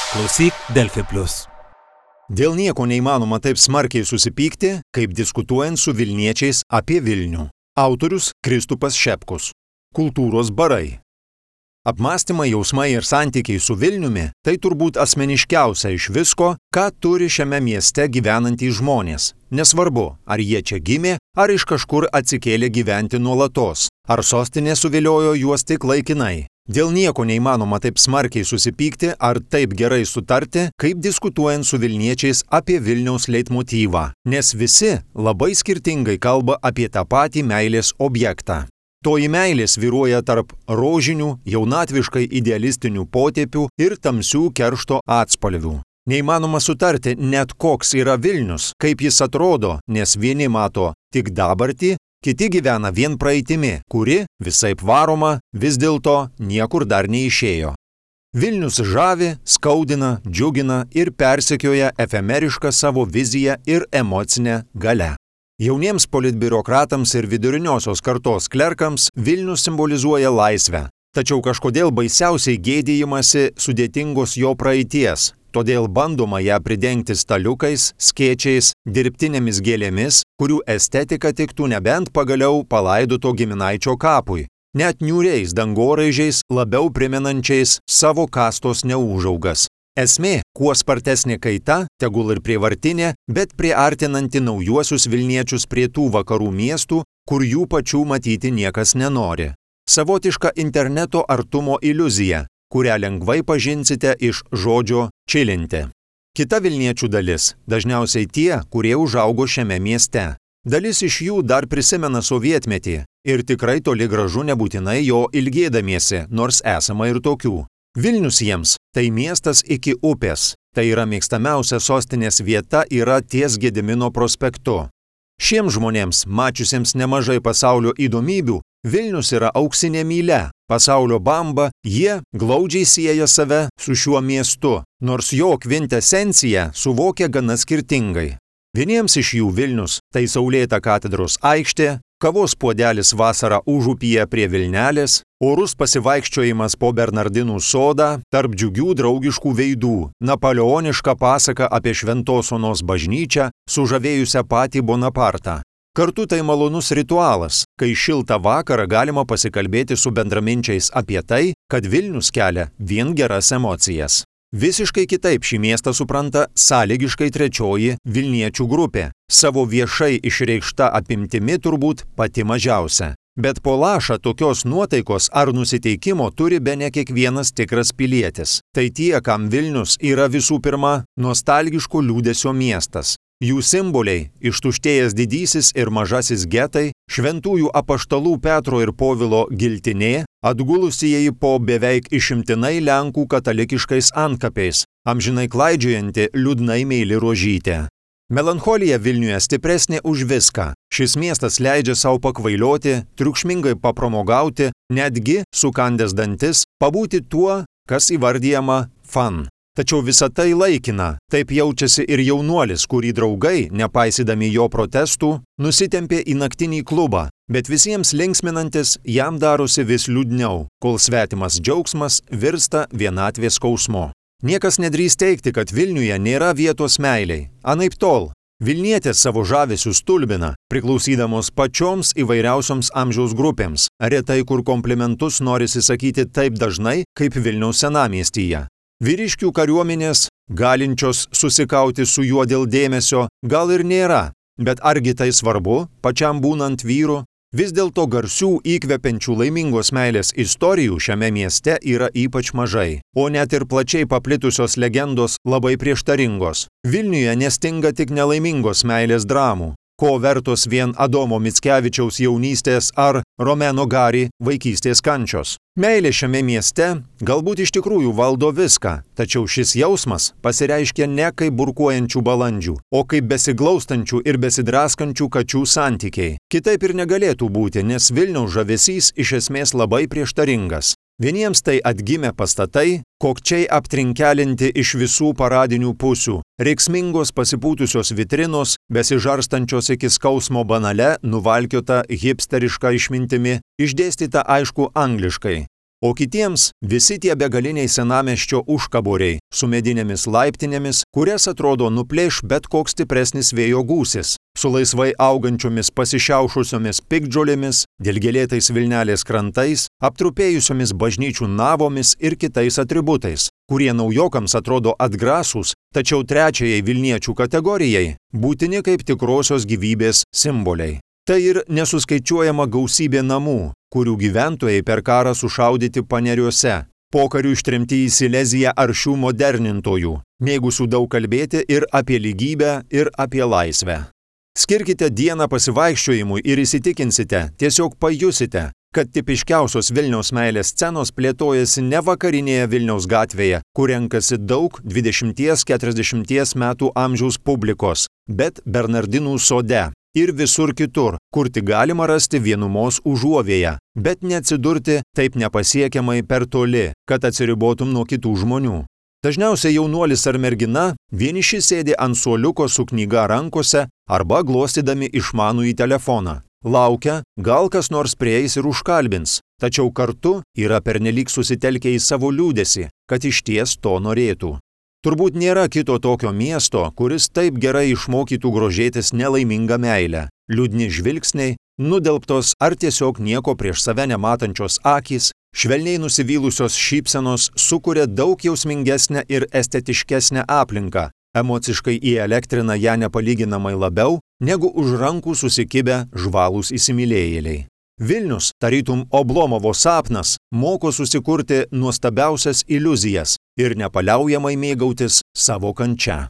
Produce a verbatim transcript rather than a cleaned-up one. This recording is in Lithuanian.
Klausyk Delfi Plus. Dėl nieko neįmanoma taip smarkiai susipykti, kaip diskutuojant su Vilniečiais apie Vilnių. Autorius Kristupas Šepkus. Kultūros barai. Apmąstymai, jausmai ir santykiai su Vilniumi – tai turbūt asmeniškiausia iš visko, ką turi šiame mieste gyvenantys žmonės. Nesvarbu, ar jie čia gimė, ar iš kažkur atsikėlė gyventi nuolatos, ar sostinė suviliojo juos tik laikinai. Dėl nieko neįmanoma taip smarkiai susipykti ar taip gerai sutarti, kaip diskutuojant su Vilniečiais apie Vilniaus leitmotyvą, nes visi labai skirtingai kalba apie tą patį meilės objektą. Toji meilė svyruoja tarp rožinių, jaunatviškai idealistinių potėpių ir tamsių keršto atspalvių. Neįmanoma sutarti net koks yra Vilnius, kaip jis atrodo, nes vieni mato tik dabartį, kiti gyvena vien praeitimi, kuri, visaip varoma, vis dėlto niekur dar neišėjo. Vilnius žavi, skaudina, džiugina ir persekioja efemerišką savo viziją ir emocinę galią. Jauniems politbiurokratams ir viduriniosios kartos klerkams Vilnius simbolizuoja laisvę, tačiau kažkodėl baisiausiai gėdijimasi sudėtingos jo praeities. Todėl bandoma ją pridengti staliukais, skėčiais, dirbtinėmis gėlėmis, kurių estetika tiktų nebent pagaliau palaidoto giminaičio kapui, net niūriais dangoraižiais labiau primenančiais savo kastos neūžaugas. Esmė, kuo spartesnė kaita, tegul ir prievartinė, bet priartinanti naujuosius Vilniečius prie tų vakarų miestų, kur jų pačių matyti niekas nenori. Savotiška interneto artumo iliuzija, kurią lengvai pažinsite iš žodžio čilinti. Kita Vilniečių dalis – dažniausiai tie, kurie užaugo šiame mieste. Dalis iš jų dar prisimena sovietmetį ir tikrai toli gražu nebūtinai jo ilgėdamiesi, nors esama ir tokių. Vilnius jiems – tai miestas iki upės, tai yra mėgstamiausia sostinės vieta yra ties Gedimino prospektu. Šiems žmonėms, mačiusiems nemažai pasaulio įdomybių, Vilnius yra auksinė mylia, pasaulio bamba, jie glaudžiai sieja save su šiuo miestu, nors jo kvintesenciją suvokia gana skirtingai. Vieniems iš jų Vilnius – tai saulėta katedros aikštė, kavos puodelis vasarą užupyje prie Vilnelės, orus pasivaikščiojimas po Bernardinų sodą, tarp džiugių draugiškų veidų, napoleoniška pasaka apie Šventos Onos bažnyčią, sužavėjusią patį Bonapartą. Kartu tai malonus ritualas, kai šiltą vakarą galima pasikalbėti su bendraminčiais apie tai, kad Vilnius kelia vien geras emocijas. Visiškai kitaip šį miestą supranta sąlygiškai trečioji Vilniečių grupė, savo viešai išreikšta apimtimi turbūt pati mažiausia. Bet po lašą tokios nuotaikos ar nusiteikimo turi bene kiekvienas tikras pilietis. Tai tie, kam Vilnius yra visų pirma nostalgiško liūdesio miestas. Jų simboliai – ištuštėjęs didysis ir mažasis getai, šventųjų apaštalų Petro ir Povilo giltinė, atgulusieji po beveik išimtinai Lenkų katalikiškais antkapiais, amžinai klaidžiojanti liūdnai meili rožytė. Melancholija Vilniuje stipresnė už viską. Šis miestas leidžia savo pakvailioti, triukšmingai papramogauti, netgi, sukandęs dantis, pabūti tuo, kas įvardijama fan. Tačiau visa tai laikina, taip jaučiasi ir jaunuolis, kurį draugai, nepaisydami jo protestų, nusitempė į naktinį klubą, bet visiems linksminantis jam darosi vis liūdniau, kol svetimas džiaugsmas virsta vienatvės skausmu. Niekas nedrįs teigti, kad Vilniuje nėra vietos meiliai, anaiptol. Vilnietės savo žavesių stulbina, priklausydamos pačioms įvairiausioms amžiaus grupėms, retai kur komplimentus norisi sakyti taip dažnai, kaip Vilniaus senamiestyje. Vyriškių kariuomenės, galinčios susikauti su juo dėl dėmesio, gal ir nėra, bet argi tai svarbu, pačiam būnant vyru? Vis dėlto garsių įkvepiančių laimingos meilės istorijų šiame mieste yra ypač mažai, o net ir plačiai paplitusios legendos labai prieštaringos. Vilniuje nestinga tik nelaimingos meilės dramų, ko vertos vien Adomo Mickevičiaus jaunystės ar Romeno Gari vaikystės kančios. Meilė šiame mieste galbūt iš tikrųjų valdo viską, tačiau šis jausmas pasireiškia ne kaip burkuojančių balandžių, o kaip besiglaustančių ir besidraskančių kačių santykiai. Kitaip ir negalėtų būti, nes Vilniaus žavesys iš esmės labai prieštaringas. Vieniems tai atgimę pastatai, kokčiai aptrinkelinti iš visų paradinių pusių, reiksmingos pasipūtusios vitrinos, besižarstančios iki skausmo banale, nuvalkiota hipsteriška išmintimi, išdėstyta aišku angliškai. O kitiems visi tie begaliniai senamiesčio užkaboriai su medinėmis laiptinėmis, kurias atrodo nuplėš bet koks stipresnis vėjo gūsis, su laisvai augančiomis pasišiaušusiomis piktžolėmis, dilgėlėtais Vilnelės krantais, aptrupėjusiomis bažnyčių navomis ir kitais atributais, kurie naujokams atrodo atgrasūs, tačiau trečiajai Vilniečių kategorijai būtini kaip tikrosios gyvybės simboliai. Tai ir nesuskaičiuojama gausybė namų, kurių gyventojai per karą sušaudyti paneriuose, pokariu ištremti į Sileziją aršių modernintojų, mėgusių daug kalbėti ir apie lygybę, ir apie laisvę. Skirkite dieną pasivaikščiojimui ir įsitikinsite, tiesiog pajusite, kad tipiškiausios Vilniaus meilės scenos plėtojasi ne vakarinėje Vilniaus gatvėje, kur renkasi daug dvidešimties-keturiasdešimties metų amžiaus publikos, bet Bernardinų sode ir visur kitur, kur tik galima rasti vienumos užuovėją, bet neatsidurti taip nepasiekiamai per toli, kad atsiribotum nuo kitų žmonių. Dažniausiai jaunuolis ar mergina vieniši sėdi ant suoliuko su knyga rankose arba glostydami išmanųjį telefoną. Laukia, gal kas nors prieis ir užkalbins, tačiau kartu yra pernelyg susitelkę į savo liūdesį, kad išties to norėtų. Turbūt nėra kito tokio miesto, kuris taip gerai išmokytų grožėtis nelaimingą meilę. Liūdni žvilgsniai, nudelbtos ar tiesiog nieko prieš save nematančios akys, švelniai nusivylusios šypsenos sukuria daug jausmingesnę ir estetiškesnę aplinką, emociškai įelektrina ją nepalyginamai labiau, negu už rankų susikibę žvalūs įsimylėjėliai. Vilnius, tarytum Oblomovo sapnas, moko susikurti nuostabiausias iliuzijas ir nepaliaujamai mėgautis savo kančia.